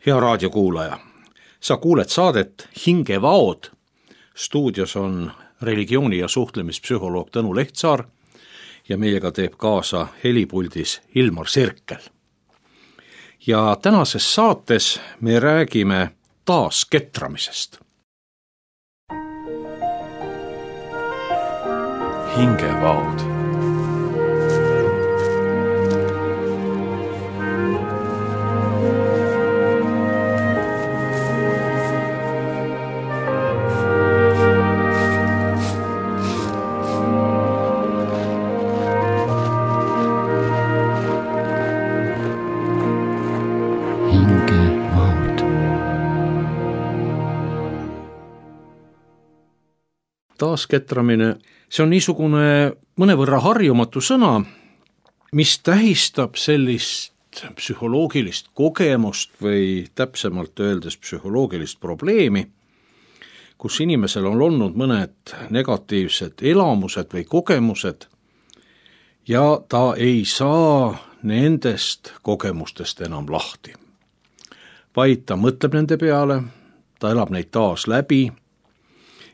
Hea raadiokuulaja, sa kuuled saadet Hingevaod. Stuudios on religiooni- ja suhtlemispsühholoog Tõnu Lehtsaar ja meiega teeb kaasa helipuldis Ilmar Sirkel. Ja tänases saates me räägime taasketramisest. Hingevaod. Taasketramine, see on niisugune mõnevõrra harjumatu sõna, mis tähistab sellist psühholoogilist kogemust või täpsemalt öeldes psühholoogilist probleemi, kus inimesel on olnud mõned negatiivsed elamused või kogemused ja ta ei saa nendest kogemustest enam lahti. Vaid ta mõtleb nende peale, ta elab neid taas läbi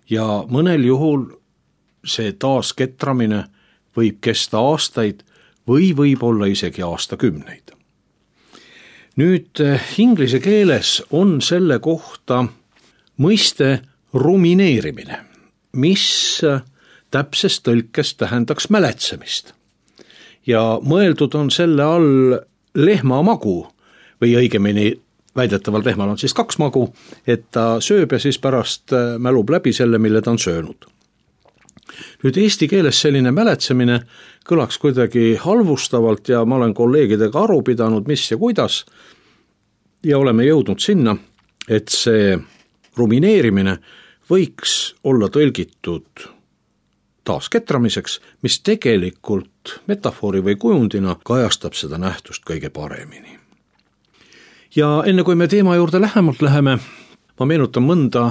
ja mõnel juhul see taasketramine võib kesta aastaid või võib olla isegi aastakümneid. Nüüd inglise keeles on selle kohta mõiste rumineerimine, mis täpses tõlkes tähendaks mäletsemist. Ja mõeldud on selle all lehmamagu või õigemini väidetavalt lehmal on siis 2 magu, et ta sööb ja siis pärast mälub läbi selle, mille ta on söönud. Nüüd eesti keeles selline mäletsemine kõlaks kuidagi halvustavalt ja ma olen kolleegidega aru pidanud, mis ja kuidas, ja oleme jõudnud sinna, et see rumineerimine võiks olla tõlgitud taasketramiseks, mis tegelikult metafoori või kujundina kajastab seda nähtust kõige paremini. Ja enne kui me teema juurde lähemalt läheme, ma meenutan mõnda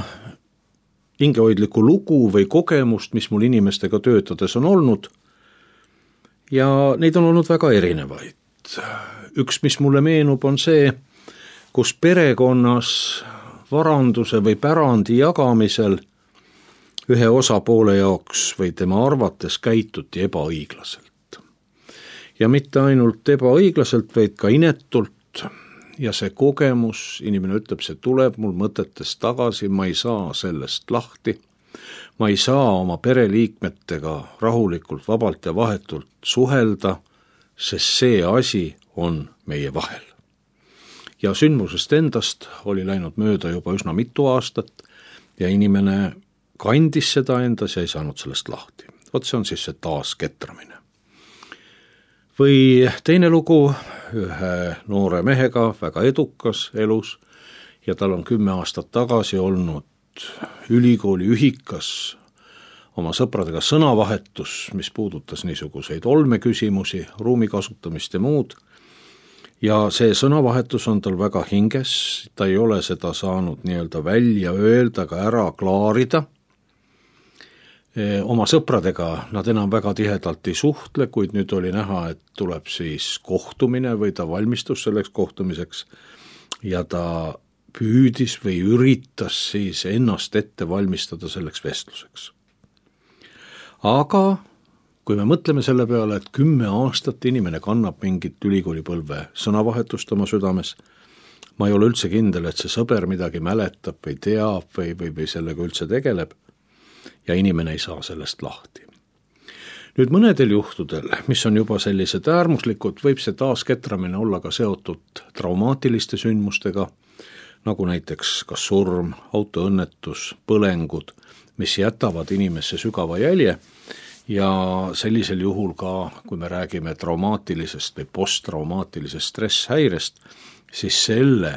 hingehoidlikku lugu või kogemust, mis mul inimestega töötades on olnud. Ja neid on olnud väga erinevaid. Üks, mis mulle meenub, on see, kus perekonnas varanduse või pärandi jagamisel ühe osapoole jaoks või tema arvates käituti ebaõiglaselt. Ja mitte ainult ebaõiglaselt, vaid ka inetult. Ja see kogemus, inimene ütleb, see tuleb mul mõtetest tagasi, ma ei saa sellest lahti, ma ei saa oma pereliikmetega rahulikult, vabalt ja vahetult suhelda, sest see asi on meie vahel. Ja sündmusest endast oli läinud mööda juba üsna mitu aastat ja inimene kandis seda endas ja ei saanud sellest lahti. Vot see on siis see taasketramine. Või teine lugu ühe noore mehega, väga edukas elus ja tal on 10 aastat tagasi olnud ülikooli ühikas oma sõpradega sõnavahetus, mis puudutas niisuguseid olmeküsimusi, ruumi kasutamist ja muud. Ja see sõnavahetus on tal väga hinges, ta ei ole seda saanud nii-öelda välja öelda, ka ära klaarida. Oma sõpradega nad enam väga tihedalt ei suhtle, kuid nüüd oli näha, et tuleb siis kohtumine või ta valmistus selleks kohtumiseks ja ta püüdis või üritas siis ennast ette valmistada selleks vestluseks. Aga kui me mõtleme selle peale, et 10 aastat inimene kannab mingit ülikoolipõlve sõnavahetust oma südames, ma ei ole üldse kindel, et see sõber midagi mäletab või teab või sellega üldse tegeleb, ja inimene ei saa sellest lahti. Nüüd mõnedel juhtudel, mis on juba sellised äärmuslikud, võib see taasketramine olla ka seotud traumaatiliste sündmustega, nagu näiteks kas surm, autoõnnetus, põlengud, mis jätavad inimesse sügava jälje ja sellisel juhul ka, kui me räägime traumaatilisest või posttraumaatilisest stresshäirest, siis selle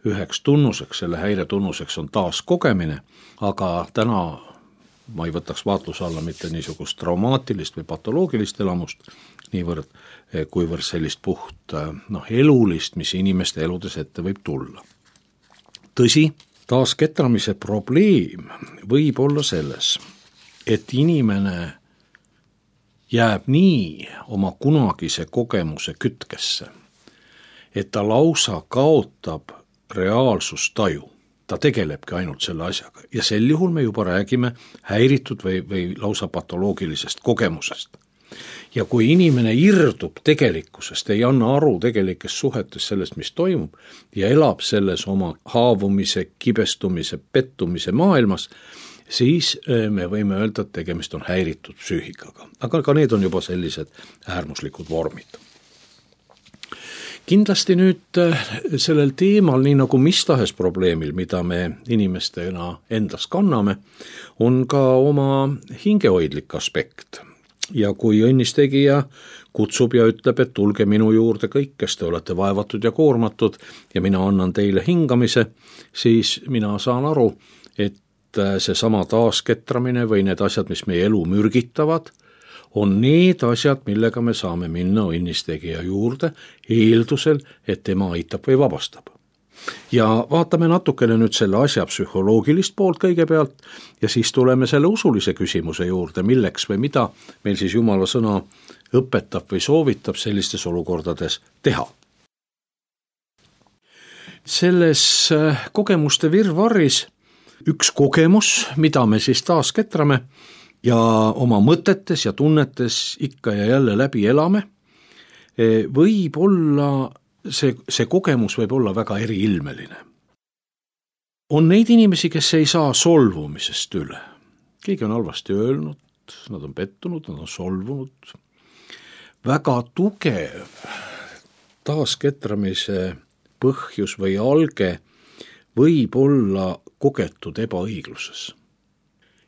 üheks tunnuseks, selle häire tunnuseks on taaskogemine, aga täna ma ei võtaks vaatluse alla mitte niisugust traumaatilist või patoloogilist elamust, niivõrd kuivõrd sellist puht elulist, mis inimeste eludes ette võib tulla. Tõsi, taasketramise probleem võib olla selles, et inimene jääb nii oma kunagise kogemuse kütkesse, et ta lausa kaotab reaalsustaju, ta tegelebki ainult selle asjaga ja sel juhul me juba räägime häiritud või lausa patoloogilisest kogemusest. Ja kui inimene irdub tegelikkusest, ei anna aru tegelikest suhetes sellest, mis toimub ja elab selles oma haavumise, kibestumise, pettumise maailmas, siis me võime öelda, et tegemist on häiritud psüühikaga. Aga ka need on juba sellised äärmuslikud vormid. Kindlasti nüüd sellel teemal, nii nagu mis tahes probleemil, mida me inimestena endas kanname, on ka oma hingehoidlik aspekt. Ja kui õnnistegija kutsub ja ütleb, et tulge minu juurde kõik, kes te olete vaevatud ja koormatud ja mina annan teile hingamise, siis mina saan aru, et seesama taasketramine või need asjad, mis meie elu mürgitavad, on need asjad, millega me saame minna õnnistegija juurde eeldusel, et tema aitab või vabastab. Ja vaatame natukene nüüd selle asja psühholoogilist poolt kõigepealt ja siis tuleme selle usulise küsimuse juurde, milleks või mida meil siis Jumala sõna õpetab või soovitab sellistes olukordades teha. Selles kogemuste virvarris üks kogemus, mida me siis taas ketrame ja oma mõtetes ja tunnetes ikka ja jälle läbi elame, võib olla see kogemus võib olla väga eriilmeline. On neid inimesi, kes ei saa solvumisest üle. Keegi on halvasti öelnud, nad on pettunud, nad on solvunud. Väga tugev taasketramise põhjus või alge võib olla kogetud ebaõigluses.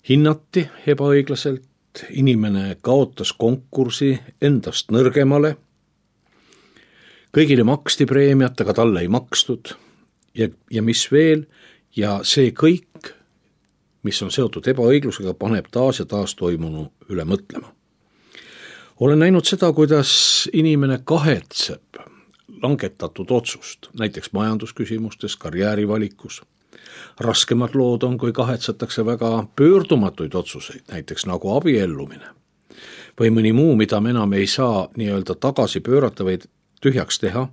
Hinnati ebaõiglaselt, inimene kaotas konkursi endast nõrgemale, kõigile maksti preemiat, aga talle ei makstud ja mis veel, ja see kõik, mis on seotud ebaõiglusega, paneb taas ja taas toimunu üle mõtlema. Olen näinud seda, kuidas inimene kahetseb langetatud otsust, näiteks majandusküsimustes, karjäärivalikus. Raskemad lood on, kui kahetsetakse väga pöördumatuid otsuseid, näiteks nagu abiellumine. Või mõni muu, mida me enam ei saa nii-öelda tagasi pöörata või tühjaks teha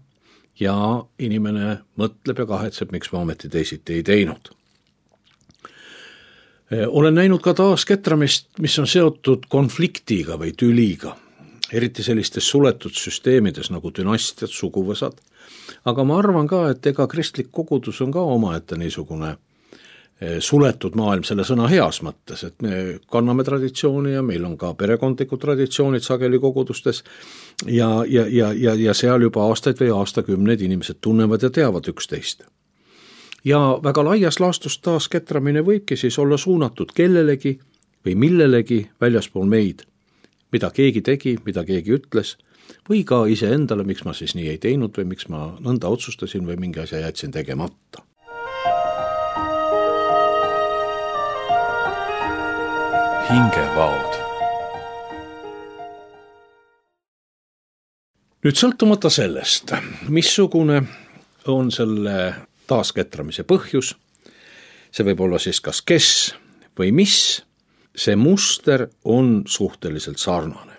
ja inimene mõtleb ja kahetseb, miks ma ometi teisiti ei teinud. Olen näinud ka taasketramist, mis on seotud konfliktiga või tüliga, eriti sellistes suletud süsteemides nagu dünastiad, suguvõsad. Aga ma arvan ka, et ega kristlik kogudus on ka omaette niisugune suletud maailm selle sõna heas mõttes, et me kanname traditsiooni ja meil on ka perekondlikud traditsioonid sageli kogudustes ja seal juba aastaid või aastakümneid inimesed tunnevad ja teavad üksteist. Ja väga laias laastus taasketramine võibki siis olla suunatud kellelegi või millelegi väljaspool meid, mida keegi tegi, mida keegi ütles, või ka iseendale, miks ma siis nii ei teinud või miks ma nõnda otsustasin või mingi asja jätsin tegemata. Hingevaod. Nüüd sõltumata sellest, missugune on selle taasketramise põhjus, see võib olla siis kas kes või mis, see muster on suhteliselt sarnane.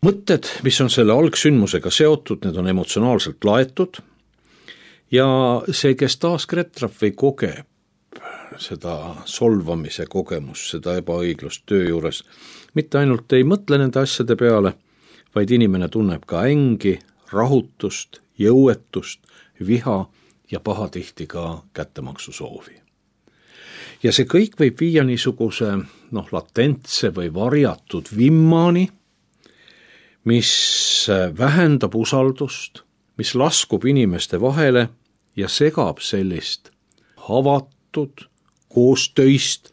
Mõtted, mis on selle algsündmusega seotud, need on emotsionaalselt laetud ja see, kes taasketrab või kogeb seda solvamise kogemus, seda ebaõiglust töö juures, mitte ainult ei mõtle nende asjade peale, vaid inimene tunneb ka ängi, rahutust, jõuetust, viha ja pahatihti ka kättemaksusoovi. Ja see kõik võib viia niisuguse latentse või varjatud vimmani, mis vähendab usaldust, mis laskub inimeste vahele ja segab sellist avatud, koostöist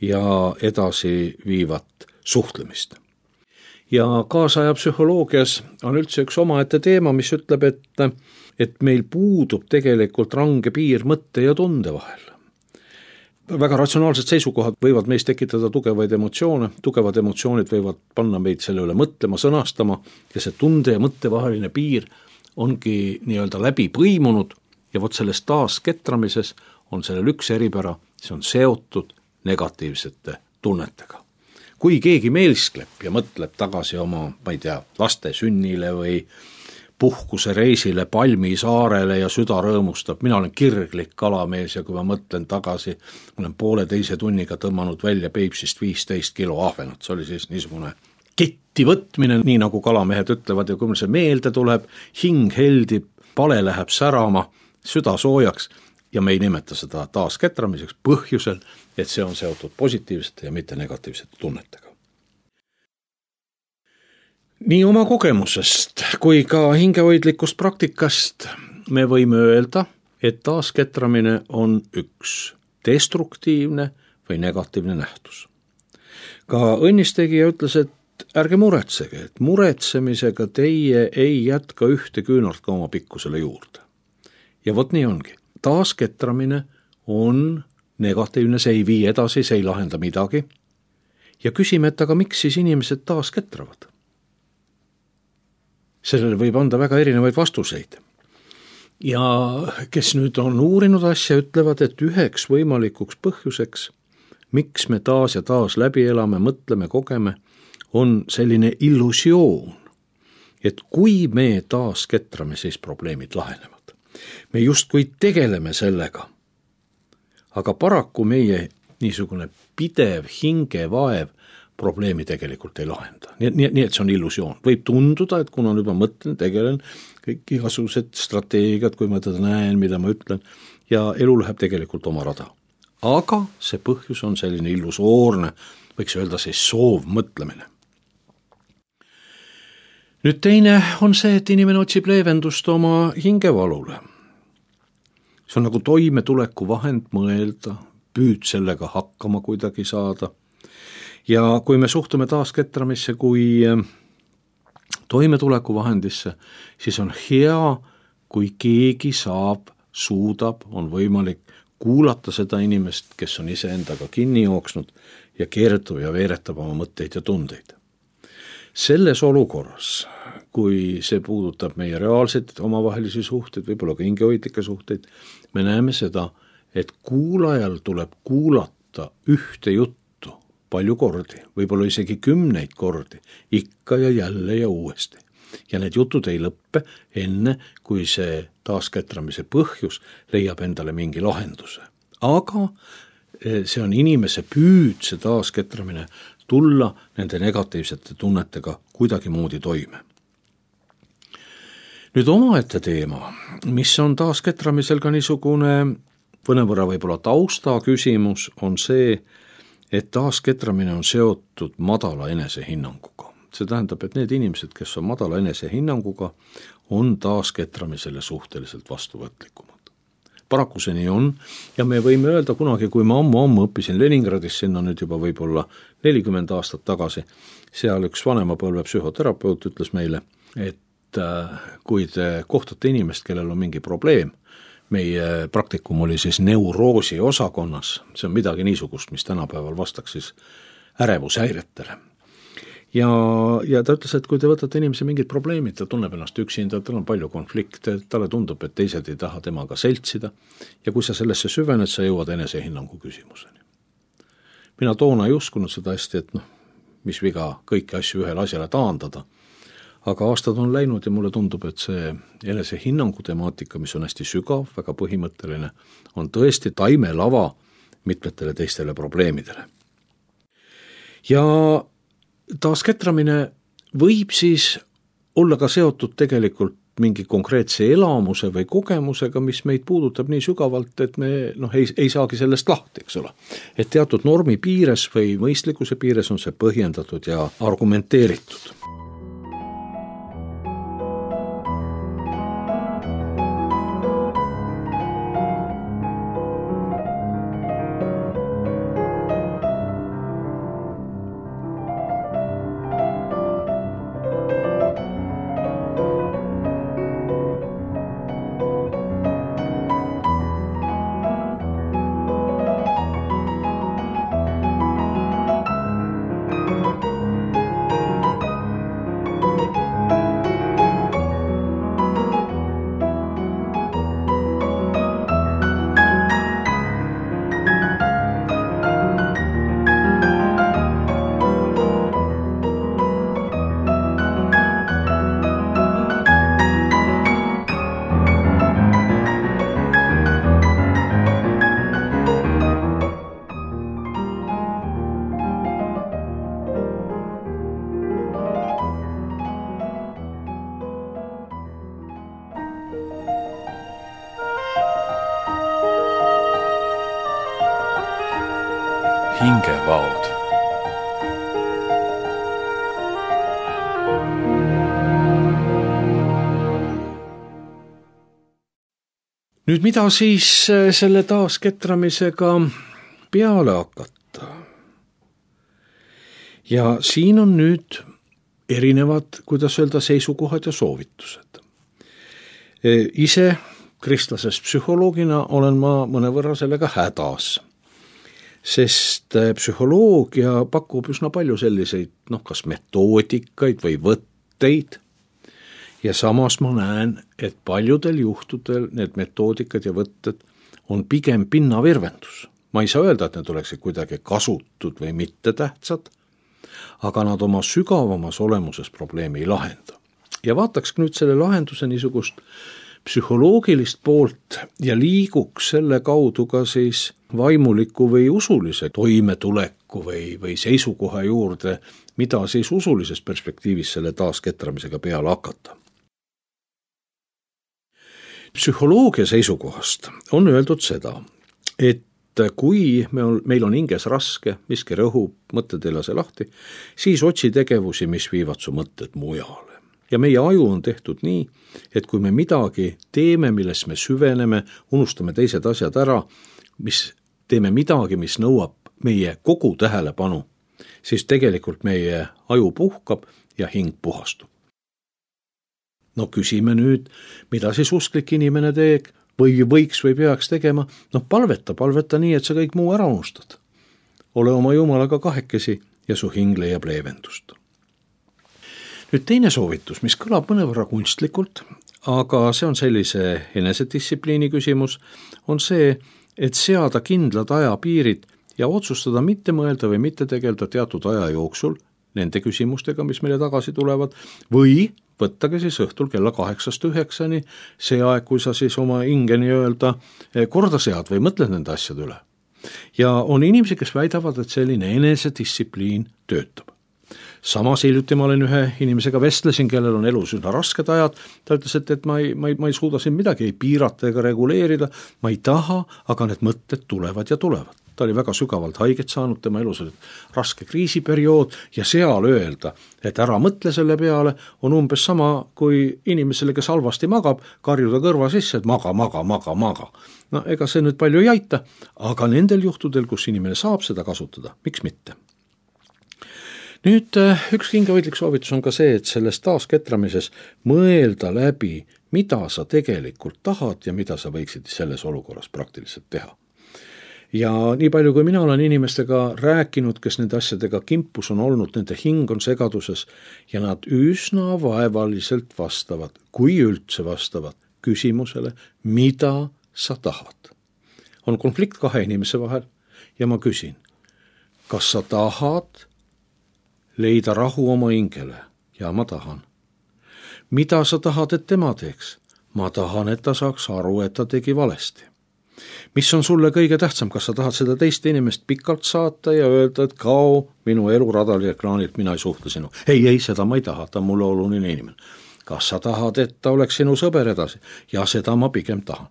ja edasi viivat suhtlemist. Ja kaasaja psühholoogias on üldse üks omaette teema, mis ütleb, et meil puudub tegelikult range piir mõtte ja tunde vahel. Väga ratsionaalsed seisukohad võivad meis tekitada tugevaid emotsioone, tugevad emotsioonid võivad panna meid selle üle mõtlema, sõnastama ja see tunde ja mõtte vaheline piir ongi nii-öelda läbi põimunud ja vot selles taasketramises on sellel üks eripära, see on seotud negatiivsete tunnetega. Kui keegi meelskleb ja mõtleb tagasi oma, ma ei tea, laste sünnile või puhkuse reisile Palmisaarele ja süda rõõmustab. Mina olen kirglik kalamees ja kui ma mõtlen tagasi, ma olen 1,5 tunniga tõmmanud välja Peipsist 15 kilo ahvenat. See oli siis niisugune ketti võtmine, nii nagu kalamehed ütlevad, ja kui mul see meelde tuleb, hing heldib, pale läheb särama, süda soojaks ja me ei nimeta seda taasketramiseks põhjusel, et see on seotud positiivsete ja mitte negatiivsete tunnetega. Nii oma kogemusest kui ka hingehoidlikust praktikast me võime öelda, et taasketramine on üks destruktiivne või negatiivne nähtus. Ka õnnistegija ütles, et ärge muretsege, et muretsemisega teie ei jätka ühte küünart ka oma pikkusele juurde. Ja vot nii ongi. Taasketramine on negatiivne, see ei vii edasi, see ei lahenda midagi. Ja küsime, et aga miks siis inimesed taasketravad? Sellele võib anda väga erinevaid vastuseid. Ja kes nüüd on uurinud asja, ütlevad, et üheks võimalikuks põhjuseks, miks me taas ja taas läbi elame, mõtleme, kogeme, on selline illusioon, et kui me taasketrame, siis probleemid lahenevad. Me justkui tegeleme sellega, aga paraku meie niisugune pidev hingevaev probleemi tegelikult ei lahenda. Nii et see on illusioon. Võib tunduda, et kuna nüüd ma mõtlen, tegelen, kõik igasugused strateegiad, kui ma teda näen, mida ma ütlen, ja elu läheb tegelikult oma rada. Aga see põhjus on selline illusoorne, võiks öelda siis soovmõtlemine. Nüüd teine on see, et inimene otsib leevendust oma hingevalule. See on nagu toimetuleku vahend mõelda, püüd sellega hakkama kuidagi saada. Ja kui me suhtume taasketramisse kui toimetuleku vahendisse, siis on hea, kui keegi suudab, on võimalik kuulata seda inimest, kes on iseendaga kinni jooksnud ja keeretab ja veeretab oma mõtteid ja tundeid. Selles olukorras, kui see puudutab meie reaalseid omavahelisi suhteid, võib-olla ka hingehoidlikke suhteid, me näeme seda, et kuulajal tuleb kuulata ühte juttu palju kordi, võib-olla isegi 10 kordi, ikka ja jälle ja uuesti. Ja need jutud ei lõppe enne, kui see taasketramise põhjus leiab endale mingi lahenduse. Aga see on inimese püüd, see taasketramine, tulla nende negatiivsete tunnetega kuidagi moodi toime. Nüüd omaette teema, mis on taasketramisel ka niisugune mõnevõrra võib-olla tausta küsimus, on see, et taasketramine on seotud madala enesehinnanguga. See tähendab, et need inimesed, kes on madala enesehinnanguga, on taasketramisele suhteliselt vastuvõtlikumad. Paraku see nii on ja me võime öelda kunagi, kui ma ammu õppisin Leningradis, sinna nüüd juba võib-olla 40 aastat tagasi, seal üks vanemapõlve psühhoterapeut ütles meile, et kui te kohtate inimest, kellel on mingi probleem, meie praktikum oli siis neuroosi osakonnas, see on midagi niisugust, mis tänapäeval vastaks siis ärevushäiretele. Ja ta ütles, et kui te võtate inimese mingid probleemid, ta tunneb ennast üksinda, tal on palju konflikte, talle tundub, et teised ei taha temaga seltsida ja kui sa sellesse süvened, sa jõuad enesehinnangu küsimuseni. Mina toona ei uskunud seda hästi, et mis viga kõiki asju ühele asjale taandada, aga aastad on läinud ja mulle tundub, et see enesehinnangu temaatika, mis on hästi sügav, väga põhimõtteline, on tõesti taimelava mitmetele teistele probleemidele. Ja taasketramine võib siis olla ka seotud tegelikult mingi konkreetse elamuse või kogemusega, mis meid puudutab nii sügavalt, et me ei saagi sellest lahti, eks ole. Et teatud normi piires või mõistlikkuse piires on see põhjendatud ja argumenteeritud. hingevaod. Nüüd mida siis selle taasketramisega peale hakata? Ja siin on nüüd erinevad, kuidas öelda, seisukohad ja soovitused. Ise kristlasest psühholoogina olen ma mõnevõrra sellega hädas, sest psühholoogia pakub üsna palju selliseid, kas metoodikaid või võtteid, ja samas ma näen, et paljudel juhtudel need metoodikad ja võtted on pigem pinnavirvendus. Ma ei saa öelda, et need oleksid kuidagi kasutud või mitte tähtsad, aga nad oma sügavamas olemuses probleemi ei lahenda. Ja vaataks nüüd selle lahenduse niisugust psühholoogilist poolt ja liiguks selle kaudu ka siis vaimuliku või usulise toimetuleku või seisukoha juurde, mida siis usulises perspektiivis selle taasketramisega peale hakata. Psühholoogia seisukohast on öeldud seda, et kui meil on hinges raske, miski rõhub, mõtted ei lase lahti, siis otsi tegevusi, mis viivad su mõtted mujale. Ja meie aju on tehtud nii, et kui me midagi teeme, milles me süveneme, unustame teised asjad ära, teeme midagi, mis nõuab meie kogu tähelepanu, siis tegelikult meie aju puhkab ja hing puhastub. No küsime nüüd, mida siis usklik inimene teeb või võiks või peaks tegema? Palveta nii, et sa kõik muu ära unustad. Ole oma Jumalaga kahekesi ja su hing leiab leevendust. Nüüd teine soovitus, mis kõlab mõnevõrra kunstlikult, aga see on sellise enesedistsipliini küsimus, on see, et seada kindlad ajapiirid ja otsustada mitte mõelda või mitte tegelda teatud aja jooksul nende küsimustega, mis meile tagasi tulevad, või võttage siis õhtul kella 8-9, see aeg, kui sa siis oma hinge nii-öelda korda sead või mõtled nende asjade üle. Ja on inimesi, kes väidavad, et selline enesedistsipliin töötab. Samas hiljuti ma olen ühe inimesega vestlesin, kellel on elus üsna rasked ajad, ta ütles, et ma ei suuda siin midagi ei piirata ega reguleerida, ma ei taha, aga need mõtted tulevad ja tulevad. Ta oli väga sügavalt haiget saanud, tema elus oli raske kriisiperiood ja seal öelda, et ära mõtle selle peale, on umbes sama kui inimesele, kes halvasti magab, karjuda kõrva sisse, et maga. No ega see nüüd palju ei aita, aga nendel juhtudel, kus inimene saab seda kasutada, miks mitte? Nüüd üks hingehoidlik soovitus on ka see, et selles taasketramises mõelda läbi, mida sa tegelikult tahad ja mida sa võiksid selles olukorras praktiliselt teha. Ja nii palju, kui mina olen inimestega rääkinud, kes nende asjadega kimpus on olnud, nende hing on segaduses ja nad üsna vaevaliselt vastavad, kui üldse vastavad küsimusele, mida sa tahad. On konflikt kahe inimese vahel ja ma küsin, kas sa tahad leida rahu oma hingele? Ja ma tahan. Mida sa tahad, et tema teeks? Ma tahan, et ta saaks aru, et ta tegi valesti. Mis on sulle kõige tähtsam, kas sa tahad seda teist inimest pikalt saata ja öelda, et kao minu eluradali ekraanilt, mina ei suhtle sinu. Ei, seda ma ei taha, ta on mulle oluline inimene. Kas sa tahad, et ta oleks sinu sõber edasi? Ja seda ma pigem tahan.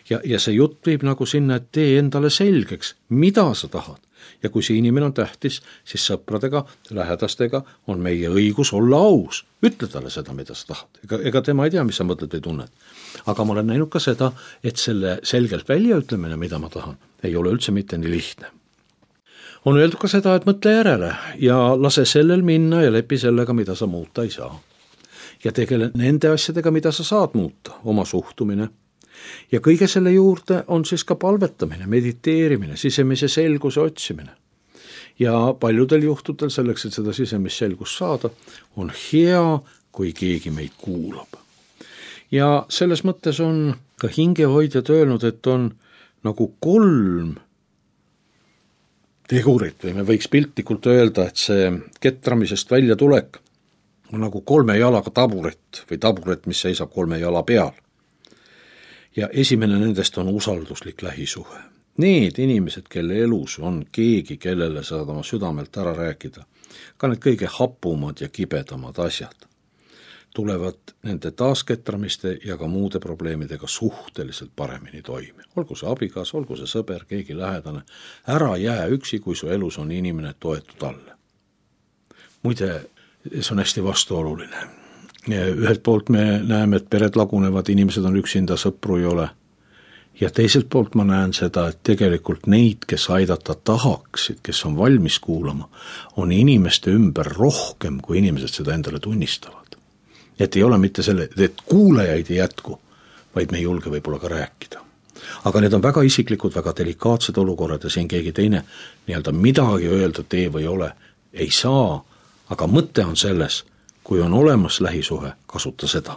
Ja see jutt viib nagu sinna, et tee endale selgeks, mida sa tahad. Ja kui see inimene on tähtis, siis sõpradega, lähedastega on meie õigus olla aus. Ütle talle seda, mida sa tahad. Ega tema ei tea, mis sa mõtled või tunned. Aga ma olen näinud ka seda, et selle selgelt väljaütlemine, mida ma tahan, ei ole üldse mitte nii lihtne. On öeldud ka seda, et mõtle järele ja lase sellel minna ja lepi sellega, mida sa muuta ei saa. Ja tegele nende asjadega, mida sa saad muuta, oma suhtumine. Ja kõige selle juurde on siis ka palvetamine, mediteerimine, sisemise selguse otsimine. Ja paljudel juhtudel selleks, et seda sisemist selgust saada, on hea, kui keegi meid kuulab. Ja selles mõttes on ka hingehoidjad öelnud, et on nagu 3 tegurit või me võiks piltlikult öelda, et see ketramisest välja tulek on nagu 3 jalaga taburet või taburet, mis seisab 3 jala peal. Ja esimene nendest on usalduslik lähisuhe. Need inimesed, kelle elus on keegi, kellele saad oma südamelt ära rääkida, ka need kõige hapumad ja kibedamad asjad. tulevad nende taasketramiste ja ka muude probleemidega suhteliselt paremini toime. Olgu see abikas, olgu see sõber, keegi lähedane, ära jää üksi, kui su elus on inimene toetu talle. Muide, see on hästi vastuoluline. Ühelt poolt me näeme, et pered lagunevad, inimesed on üksinda, sõpru ei ole. Ja teiselt poolt ma näen seda, et tegelikult neid, kes aidata tahaksid, kes on valmis kuulama, on inimeste ümber rohkem, kui inimesed seda endale tunnistavad. Et ei ole mitte selle, et kuulajaid ei jätku, vaid me ei julge võib-olla ka rääkida. Aga need on väga isiklikud, väga delikaatsed olukorrad ja siin keegi teine midagi öeldud ei või ole, ei saa, aga mõte on selles, kui on olemas lähisuhe, kasuta seda.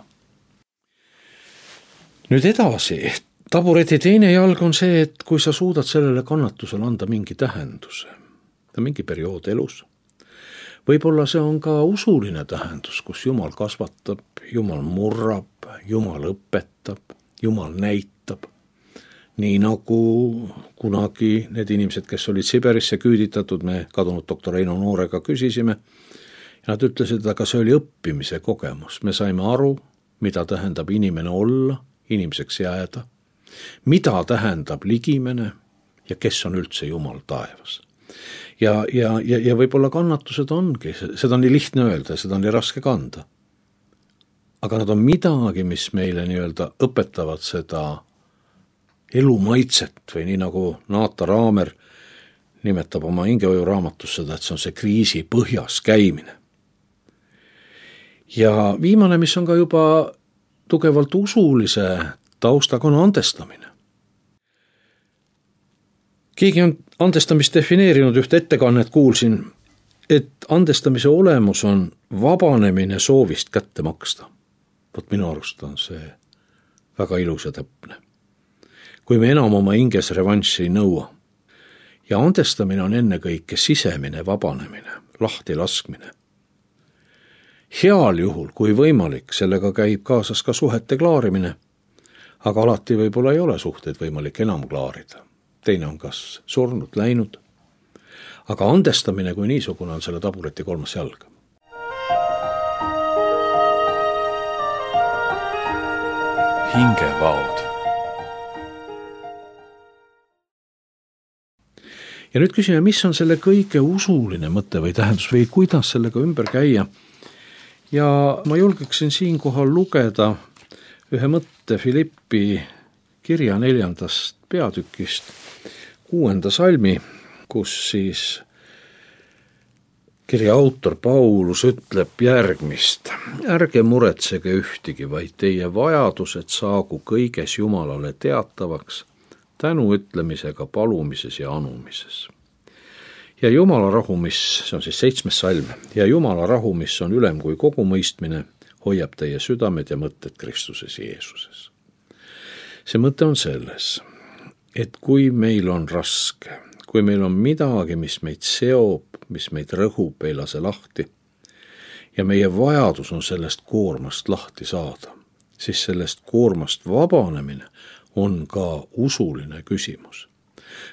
Nüüd edasi, tabureti teine jalg on see, et kui sa suudad sellele kannatusele anda mingi tähenduse, mingi periood elus, võib-olla see on ka usuline tähendus, kus Jumal kasvatab, Jumal murrab, Jumal õpetab, Jumal näitab. Nii nagu kunagi need inimesed, kes olid Siberisse küüditatud, me kadunud doktor Eino Noorega küsisime, ja nad ütlesid, aga see oli õppimise kogemus. Me saime aru, mida tähendab inimene olla, inimeseks jääda, mida tähendab ligimene ja kes on üldse Jumal taevas. Ja võib-olla kannatused ongi, seda on nii lihtne öelda, seda on nii raske kanda. Aga nad on midagi, mis meile õpetavad seda elu maitset või nii nagu Naata Raamer nimetab oma hingehoiu raamatus seda, et see on see kriisi põhjas käimine. Ja viimane, mis on ka juba tugevalt usulise taustaga, on andestamine. Keegi on andestamist defineerinud, ühte ettekannet kuulsin, et andestamise olemus on vabanemine soovist kätte maksta. Vot minu arust on see väga ilus ja täpne. Kui me enam oma hinges revanssi ei nõua. Ja andestamine on ennekõike sisemine vabanemine, lahti laskmine. Heal juhul, kui võimalik, sellega käib kaasas ka suhete klaarimine, aga alati võib-olla ei ole suhteid võimalik enam klaarida. Teine on kas surnud, läinud, aga andestamine kui niisugune on selle tabureti kolmas jalg. Hingevaod. Ja nüüd küsime, mis on selle kõige usuline mõte või tähendus või kuidas sellega ümber käia. Ja ma julgeksin siinkohal lugeda ühe mõtte Filippi kirja 4. peatükist 6. salmi, kus siis kirja autor Paulus ütleb järgmist. Ärge muretsege ühtegi, vaid teie vajadused saagu kõiges Jumalale teatavaks, tänu ütlemisega palumises ja anumises. Ja Jumala rahu, mis, see on siis 7. salm, ja Jumala rahu, mis on ülem kui kogu mõistmine, hoiab teie südamed ja mõtted Kristuses Jeesuses. See mõte on selles, et kui meil on raske, kui meil on midagi, mis meid seob, mis meid rõhub, ei lase lahti, ja meie vajadus on sellest koormast lahti saada, siis sellest koormast vabanemine on ka usuline küsimus.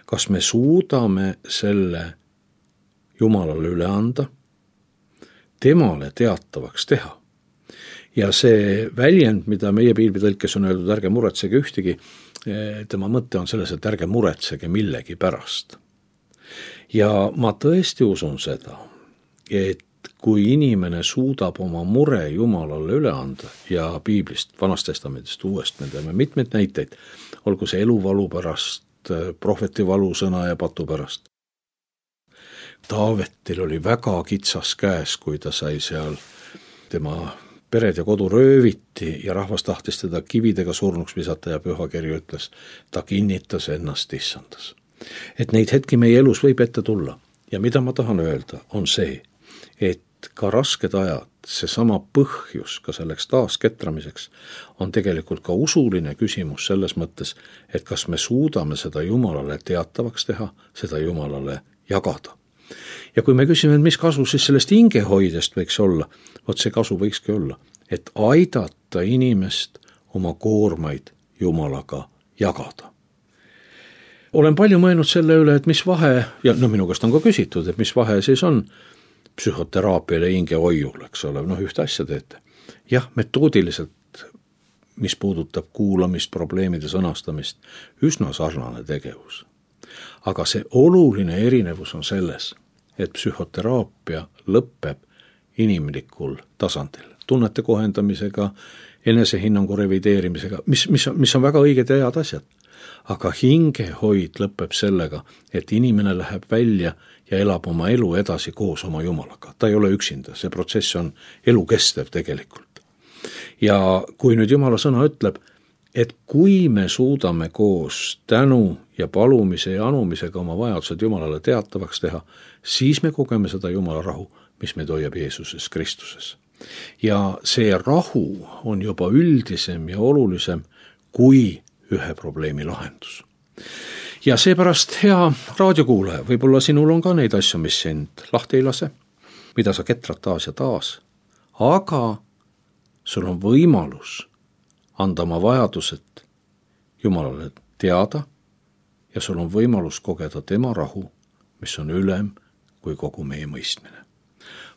Kas me suudame selle Jumalale üle anda, temale teatavaks teha? Ja see väljend, mida meie piiblitõlkes on öeldud, ärge muretsege ühtegi, tema mõte on selles, et ärge muretsege millegi pärast. Ja ma tõesti usun seda, et kui inimene suudab oma mure Jumalale üle anda ja piiblist, Vanast Testamendist, Uuest, me teeme mitmeid näiteid, olgu see eluvalu pärast, prohveti valusõna ja patu pärast. Taavetil oli väga kitsas käes, kui ta sai seal tema pered ja kodu rööviti ja rahvas tahtis teda kividega surnuks visata ja pühakiri ütles, ta kinnitas ennast issandas. Et neid hetki meie elus võib ette tulla ja mida ma tahan öelda, on see, et ka rasked ajad, seesama põhjus ka selleks taasketramiseks on tegelikult ka usuline küsimus selles mõttes, et kas me suudame seda Jumalale teatavaks teha, seda Jumalale jagada. Ja kui me küsime, et mis kasu siis sellest hingehoidest võiks olla, vot see kasu võikski olla, et aidata inimest oma koormaid Jumalaga jagada. Olen palju mõelnud selle üle, et mis vahe, ja minu käest on ka küsitud, et mis vahe siis on psühhoteraapiale ja hingehoiul, eks ole, ühte asja teete. jah, metoodiliselt, mis puudutab kuulamist, probleemide sõnastamist, üsna sarnane tegevus. Aga see oluline erinevus on selles, et psühhoteraapia lõpeb inimlikul tasandil, tunnete kohendamisega, enesehinnangu revideerimisega, mis on väga õiged ja head asjad. Aga hingehoid lõpeb sellega, et inimene läheb välja ja elab oma elu edasi koos oma Jumalaga. Ta ei ole üksinda, see protsess on elukestev tegelikult. Ja kui nüüd Jumala sõna ütleb, et kui me suudame koos tänu ja palumise ja anumisega oma vajadused Jumalale teatavaks teha, siis me kogeme seda Jumala rahu, mis meid hoiab Jeesuses Kristuses. Ja see rahu on juba üldisem ja olulisem kui ühe probleemi lahendus. Ja seepärast, hea raadiokuulaja, võib-olla sinul on ka neid asju, mis sind lahti ei lase, mida sa ketrad taas ja taas, aga sul on võimalus anda oma vajadused Jumalale teada ja sul on võimalus kogeda tema rahu, mis on ülem kui kogu meie mõistmine.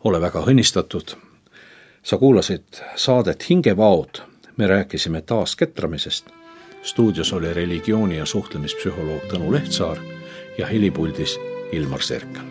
Ole väga õnnistatud. Sa kuulasid saadet Hingevaod. Me rääkisime taas ketramisest. Stuudios oli religiooni- ja suhtlemispsühholoog Tõnu Lehtsaar ja helipuldis Ilmar Serkel.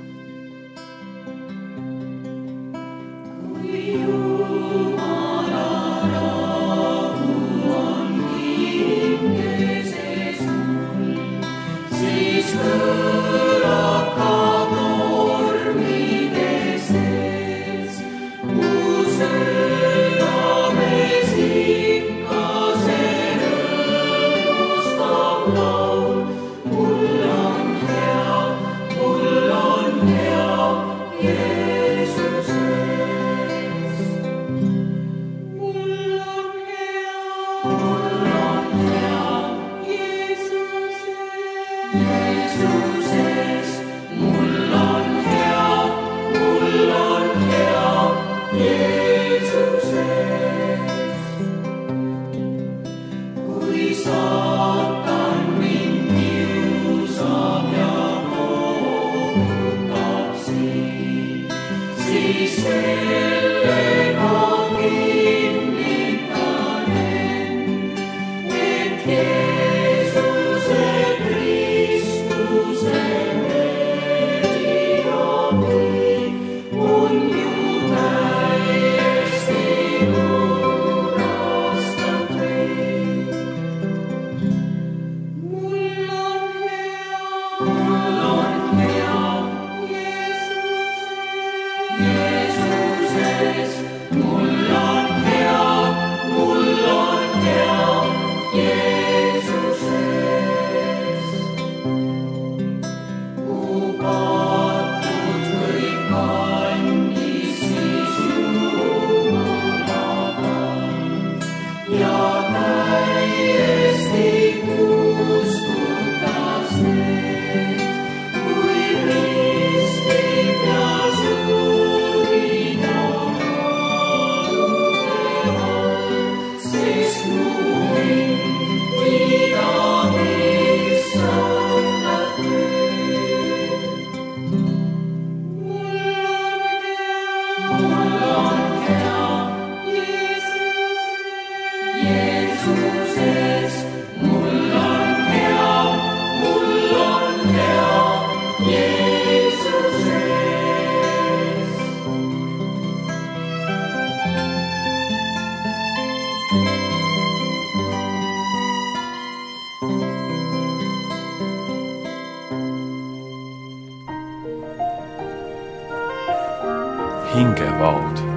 Hingevaod